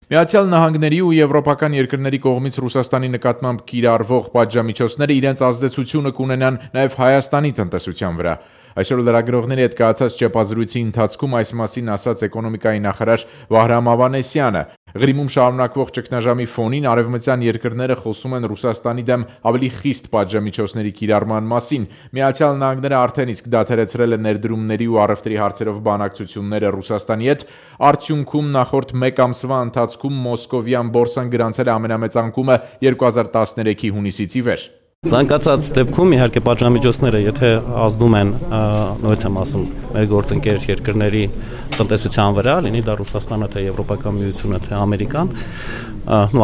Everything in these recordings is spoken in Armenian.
Միացյալ Նահանգների ու եվրոպական երկրների կողմից Ռուսաստանի նկատմամբ կիրառվող պատժամիջոցները իրենց ազդեցությունը կունենան նաև Հայաստանի տնտեսության վրա։ Այսօր լրագրողների հետ կայացած ճեպազրույցի ընթացքում այս մասին ասաց էկոնոմիկայի նախարար Վահրամ Ավանեսյանը։ Ղրիմում շարունակվող ճգնաժամի ֆոնին արևմտյան երկրները խոսում են Ռուսաստանի դեմ ավելի խիստ պատժամիջոցների կիրառման մասին։ Միացյալ Նահանգները արդեն իսկ դադարեցրել է ներդրումների ու առևտրի հարցերով բանակցությունները Ռուսաստանի հետ։ Արդյունքում նախորդ մեկ ամսվա ընթացքում Մոսկովյան բորսան գրանցել է ամենամեծ անկումը 2013-ի հունիսից ի վեր։ Ցանկացած դեպքում իհարկե պատժամիջոցները, եթե ազդում են, նույնիսկ եմ ասում, մեր գործընկեր երկրների տնտեսության վրա, լինի դա Ռուսաստանը, թե Եվրոպական միությունը, թե Ամերիկան,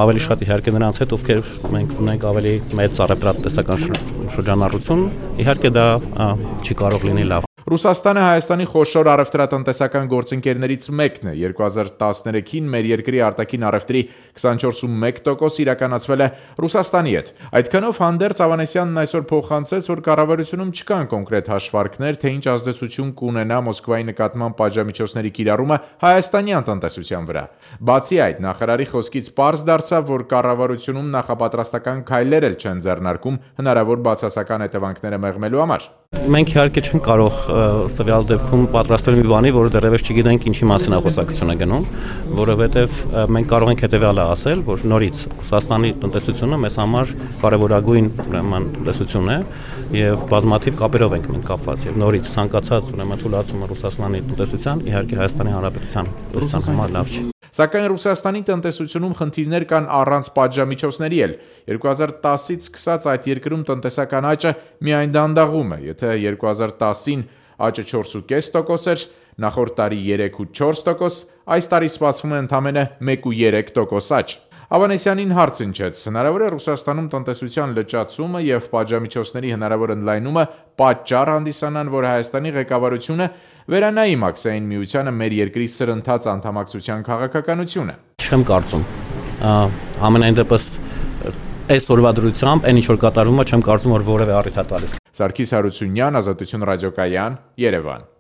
ավելի շատ իհարկե նրանց հետ, ովքեր մենք ունենք ավելի մեծ առևտրատնտեսական շրջանառություն, իհարկե դա չի կարող լինի լավ։ Ռուսաստանը Հայաստանի խոշոր առևտրատնտեսական գործընկերներից մեկն է։ 2013-ին մեր երկրի արտաքին առևտրի 24.1% իրականացվել է Ռուսաստանի հետ։ Այդքանով հանդերձ Ավանեսյանն այսօր փոխանցեց, որ կառավարությունում չկան կոնկրետ հաշվարկներ, թե ինչ ազդեցություն կունենա Մոսկվայի նկատմամբ պատժամիջոցների կիրառումը հայաստանյան տնտեսության վրա։ Բացի այդ, նախարարի խոսքից պարզ դարձավ, որ կառավարությունում նախապատրաստական քայլեր էլ չեն ձեռնարկում հնարավոր բացասական հետևանքները մեղմելու համար։ Մենք իհարկե չենք կարող սվյալ դեպքում պատրաստվել մի բանի, որը դեռևս չգիտենք ինչի մասին է խոսակցությունը գնում, որովհետև մենք կարող ենք հետևյալը ասել, որ նորից Ռուսաստանի տնտեսությունը մեզ համար կարևորագույն տնտեսություն է եւ բազմաթիվ կապերով ենք մենք կապված եւ նորից ցանկացած թուլացումը Ռուսաստանի տնտեսության իհարկե Հայաստանի Հանրապետության տնտեսության համար լավ չի։ Սակայն Ռուսաստանի տնտեսությունում խնդիրներ կան առանց պատժամիջոցների էլ։ 2010-ից սկսած այդ երկրում տնտեսական աճը միայն դանդաղում է։ Եթե 2010-ին աճը 4.5% էր, նախորդ տարի 3.4%, այս տարի սպասվում է ընդամենը 1.3% աճ։ Ավանեսյանին հարց հնչեց. հնարավոր է Ռուսաստանում տնտեսության լճացումը եւ պատժամիջոցների հնարավոր ընդլայնումը պատճառ հանդիսանան, որ Հայաստանի ղեկավարությունը վերանայի Մաքսային միությանը մեր երկրի սրընթաց անդամակցության քաղաքականությունը։ Չեմ կարծում։ Ամենայն դեպս այս օրվա դրությամբ այն ինչ որ կատարվում է, չեմ կարծում որ որևէ առիթ է տալիս։ Սարգիս Հարությունյան, Ազատություն ռադիոկայան, Երևան։